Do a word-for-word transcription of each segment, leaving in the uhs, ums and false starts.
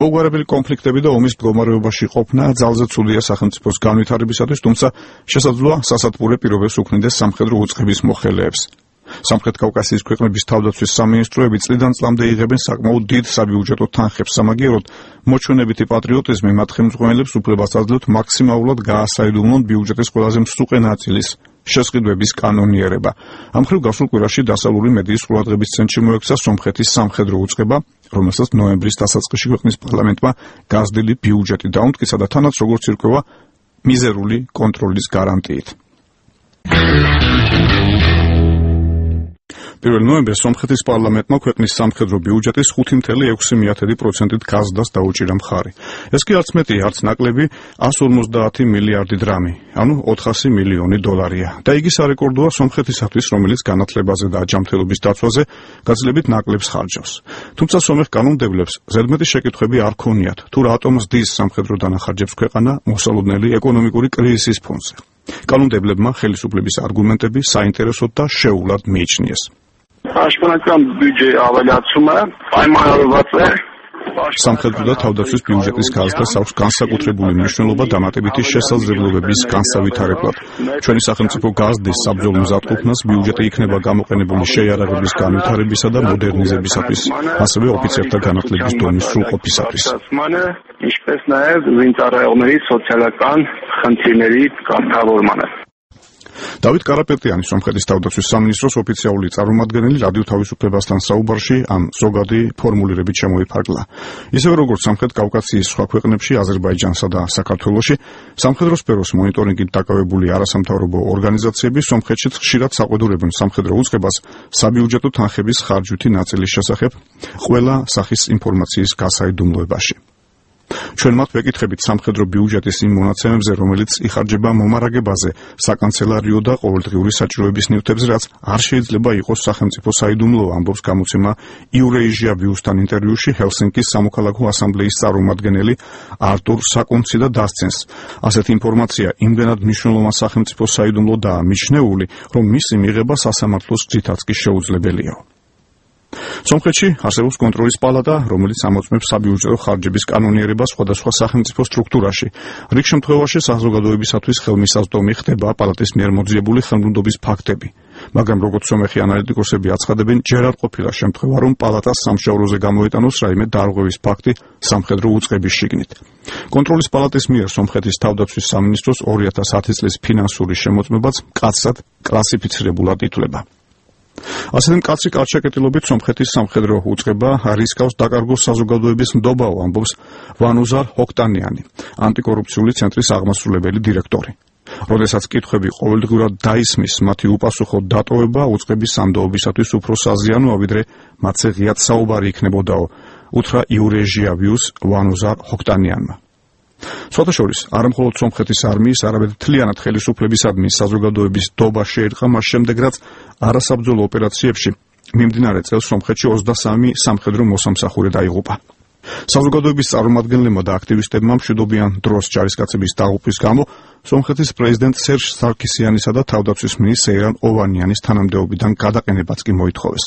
მოგვარებელი კონფლიქტები და ომის მდგომარეობაში ყოფნა ძალზე ცუდია სახელმწიფოს განვითარებისათვის, თუმცა შესაძლოა სასათბურე პირობებს უქმნიდეს სამხედრო უწყების მოხელეებს. სამხრეთ კავკასიის ქვეყნების თავდაცვის სამინისტროები წლიდან წლამდე იღებენ საკმაოდ დიდ საბიუჯეტო თანხებს, სამაგიეროდ მოჩვენებითი პატრიოტიზმი მათ ხელმძღვანელებს უფლებას აძლევთ მაქსიმალურად გაასაიდუმლონ ბიუჯეტის ყველაზე მსუყე ნაწილის შესყიდვების კანონიერება. ამ მხრივ გასულ კვირაში დასავლური მედიის ყურადღების ცენტრში მოექცა სომხეთის სამხედრო უწყება, რომელსაც ნოემბრის დასაწყისში ქვეყნის პარლამენტმა გაზრდილი ბიუჯეტი დაუმტკიცა და თანაც როგორც ირკვევა მიზერული კონტროლის გარანტიით. პირველ ნოემბერს სომხეთის პარლამენტმა ქვეყნის სამხედრო ბიუჯეტის ხუთი წელი ექვსი პროცენტით გაზრდას დაუჭირა მხარი. ეს კი არც მეტი, არც ნაკლები εκατს ორმოცდაათი მილიარდი დრამი, ანუ ოთხასი მილიონი დოლარია. და იგი სარეკორდოა სომხეთისათვის, რომელიც განათლებაზე და აჯანმრთელობის დაცვაზე გაცილებით ნაკლებს ხარჯავს. თუმცა სომეხ კანონმდებლებს ზედმეტი შეკითხვები არ ქონიათ, თუ რატომ ზრდის სამხედრო დანახარჯებს ქვეყანა მოსალოდნელი ეკონომიკური კრიზისის ფონზე. კანონმდებლებმა ხელისუფლების არგუმენტები საინტერესოდ და შეეულად მიიჩნიეს. Պաշտպանական բյուջե ավելացումը պայմանավորված է სამხედრო და თავდაცვის ბიუჯეტის გაზრდას აქვს განსაკუთრებული მნიშვნელობა დამატებითი შესაძლებლობების განსავითარებლად. ჩვენი სახელმწიფო გაზრდის საბრძოლო მზადყოფნას ბიუჯეტი იქნება გამოყენებული შეიარაღების განვითარებისა და მოდერნიზებისათვის, ასევე ოფიცერთა განათლების დონის სრულყოფისათვის. ինչպես նաև զինծառայողների սոցիալական խնդիրների կարգավորմանը. დავით კარაპეტიანი, სომხეთის თავდაცვის სამინისტროს ოფიციალური წარმომადგენელი, რადიო თავისუფლებასთან საუბარში ამ ზოგადი ფორმულირებით შემოიფარგლა. ისევე როგორც სამხრეთ კავკასიის სხვა ქვეყნებში, აზერბაიჯანსა და საქართველოში, სამხედრო სფეროს მონიტორინგით დაკავებული არასამთავრობო ორგანიზაციები სომხეთშიც ხშირად საყვედურებენ სამხედრო უწყებას საბიუჯეტო თანხების ხარჯვითი ნაწილის შესახებ ყველა სახის ინფორმაციის გასაიდუმლოებაში. ჩვენ მათ ვეკითხებით სამხედრო ბიუჯეტის იმ მონაცემებზე, რომელიც იხარჯება მომარაგებაზე, საკანცელარიო და ყოველდღიური საჭიროების ნივთებზე, რაც არ შეიძლება იყოს სახელმწიფო საიდუმლო, ამბობს გამოცემა იურეიჟია ვიუსთან ინტერვიუში ჰელსინკის სამოქალაქო ასამბლეის წარმომადგენელი არტურ საკუნცი და დასცენს. ასეთი ინფორმაცია იმდენად მნიშვნელოვან სახელმწიფო საიდუმლოდაა მიჩნეული, რომ მისი მიღება სასამართლოს გზითაც კი შეუძლებელია. სომხეთში არსებობს კონტროლის პალატა, რომელიც ამოწმებს საბიუჯეტო ხარჯების კანონიერებას სხვადასხვა სახელმწიფო სტრუქტურაში. რიგ შემთხვევაში საზოგადოებისათვის ხელმისაწვდომი ხდება პალატის მიერ მოძიებული ხელმრუდობის ფაქტები. მაგრამ როგორც სომეხი ანალიტიკოსები აცხადებენ, ჯერ არ ყოფილა შემთხვევა, რომ პალატას სამშაბლოზე გამოეტანოს რაიმე დარღვევის ფაქტი სამხედრო უწყების შიგნით. კონტროლის პალატის მიერ სომხეთის თავდაცვის სამინისტროს ორი ათას ათი წლის ფინანსური შემოწმებაც მკაცრად კლასიფიცირებულად ითვლება. ასეთი მკაცრი კარჩაკეტილობით სომხეთის სამხედრო უწყება რისკავს დაკარგოს საზოგადოების ნდობაო, ამბობს ვანუზარ ჰოქტანიანი, ანტიკორუფციული ცენტრის აღმასრულებელი დირექტორი. როდესაც კითხვები ყოველდღურად დაისმის, მათი უპასუხო დატოვება უწყების სამდაობისათვის უფრო საზიანოა, ვიდრე მათზე ღიად საუბარი იქნებოდაო, უთხრა იურეჟია ვიუს ვანუზარ ჰოქტანიანმა. სხვათაშორის, არა მხოლოდ სომხეთის არმიის, არამედ მთლიანად ხელისუფლებისადმი საზოგადოების ნდობა შეერყა მას შემდეგ, რაც არასაბრძოლო ოპერაციებში მიმდინარე წელს სომხეთში ოცდასამი სამხედრო მოსამსახურე დაიღუპა. საზოგადოების წარმომადგენლებმა და აქტივისტებმა მშვიდობიან დროს ჯარისკაცების დაღუპვის გამო სომხეთის პრეზიდენტ სერჟ სარქისიანისა და თავდაცვის მინისტრ სეირან ოვანიანის თანამდებობიდან გადაყენებაც კი მოითხოვეს.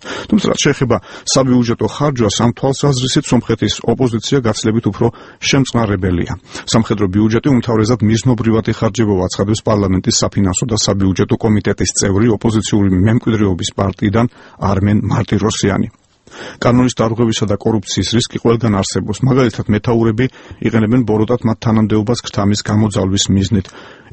თუმცა რაც შეეხება საბიუჯეტო ხარჯვას, ამ თვალსაზრისით სომხეთის ოპოზიცია გაცილებით უფრო შემწყნარებელია. სამხედრო ბიუჯეტი უმთავრესად მიზნობრივად იხარჯებოდა, აცხადებს პარლამენტის საფინანსო და საბიუჯეტო კომიტეტის წევრი ოპოზიციური მემკვიდრეობის პარტიიდან არმენ მარტიროსიანი. კანონის დარღვევისა და კორუფციის რისკი ყველგან არსებობს. მაგალითად, მეთაურები იყენებენ ბოროტად მათ თანამდებობას ქრთამის გამოძალვის მიზნით,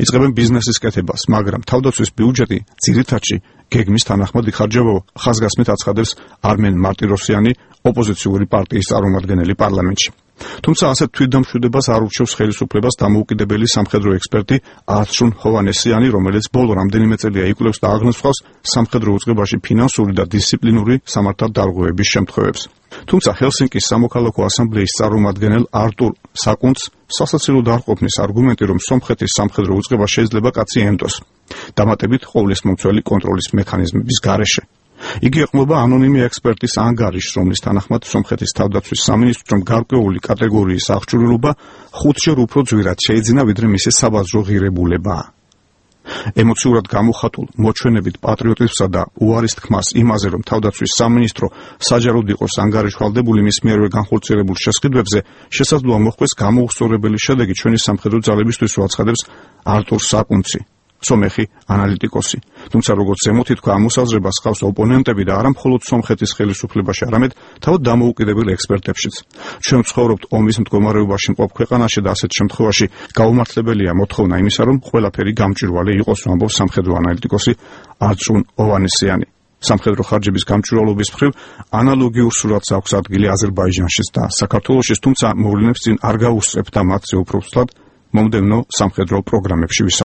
იწყებენ ბიზნესის კეთებას, მაგრამ თავდაცვის ბიუჯეტი ძირითადში გეგმის თანახმად იხარჯება, ხაზგასმით აცხადებს არმენ მარტიროსიანი, ოპოზიციური პარტიის წარმომადგენელი პარლამენტში. თუმცა ასეთ თვითდამშვიდებას არ ურჩევს ხელისუფლებას დამოუკიდებელი სამხედრო ექსპერტი არჩუნ ჰოვანესიანი, რომელიც ბოლო რამდენიმე წელია იკვლევს და აღნიშნავს სამხედრო უწყებაში ფინანსური და დისციპლინური სამართალ დარღვევების შემთხვევებს. თუმცა ჰელსინკის სამოქალაქო ასამბლეის წარმომადგენელ არტურ საკუნცს სასაცილოდ არ ყოფნის არგუმენტი, რომ სომხეთის სამხედრო უწყება შეიძლება კაცი ენდოს, დამატებით ყოვლისმომცველი კონტროლის მექანიზმების გარეშე. იგი ეყრდნობა ანონიმი ექსპერტის ანგარიშს, რომლის თანახმად სომხეთის თავდაცვის სამინისტრომ გარკვეული კატეგორიის აღჭურვილობა ხუთჯერ უფრო ძვირად შეიძინა, ვიდრე მისი საბაზრო ღირებულებაა. ემოციურად გამოხატულ მოჩვენებით პატრიოტიზმსა და უარის თქმას იმაზე, რომ თავდაცვის სამინისტრო საჯაროდ იყოს ანგარიშვალდებული მის მიერვე განხორციელებულ შესყიდვებზე, შესაძლოა მოხდეს გამოუსწორებელი შედეგი ჩვენი სამხედრო ძალებისთვის, აცხადებს არტურ საკუნცი, სომეხი ანალიტიკოსი. თუმცა როგორც ზემოთ ითქვა, ამ მოსაზრებას ჰყავს ოპონენტები და არა მხოლოდ სომხეთის ხელისუფლებაში, არამედ თავად დამოუკიდებელ ექსპერტებშიც. ჩვენ ვცხოვრობთ ომის მდგომარეობაში მყოფ ქვეყანაში და ასეთ შემთხვევაში გაუმართლებელია მოთხოვნა იმისა, რომ ყველაფერი გამჭვირვალე იყოს, ამბობს სამხედრო ანალიტიკოსი არწუნ ოვანესიანი. სამხედრო ხარჯების გამჭვირვალობის მხრივ ანალოგიურ სურათს აქვს ადგილი აზერბაიჯანშიც და საქართველოშიც, თუმცა მოვლენებს წინ არ გაუსწრებთ და მათზე უფრო ვსვლად მომდევნო სამხედრო პროგრამებში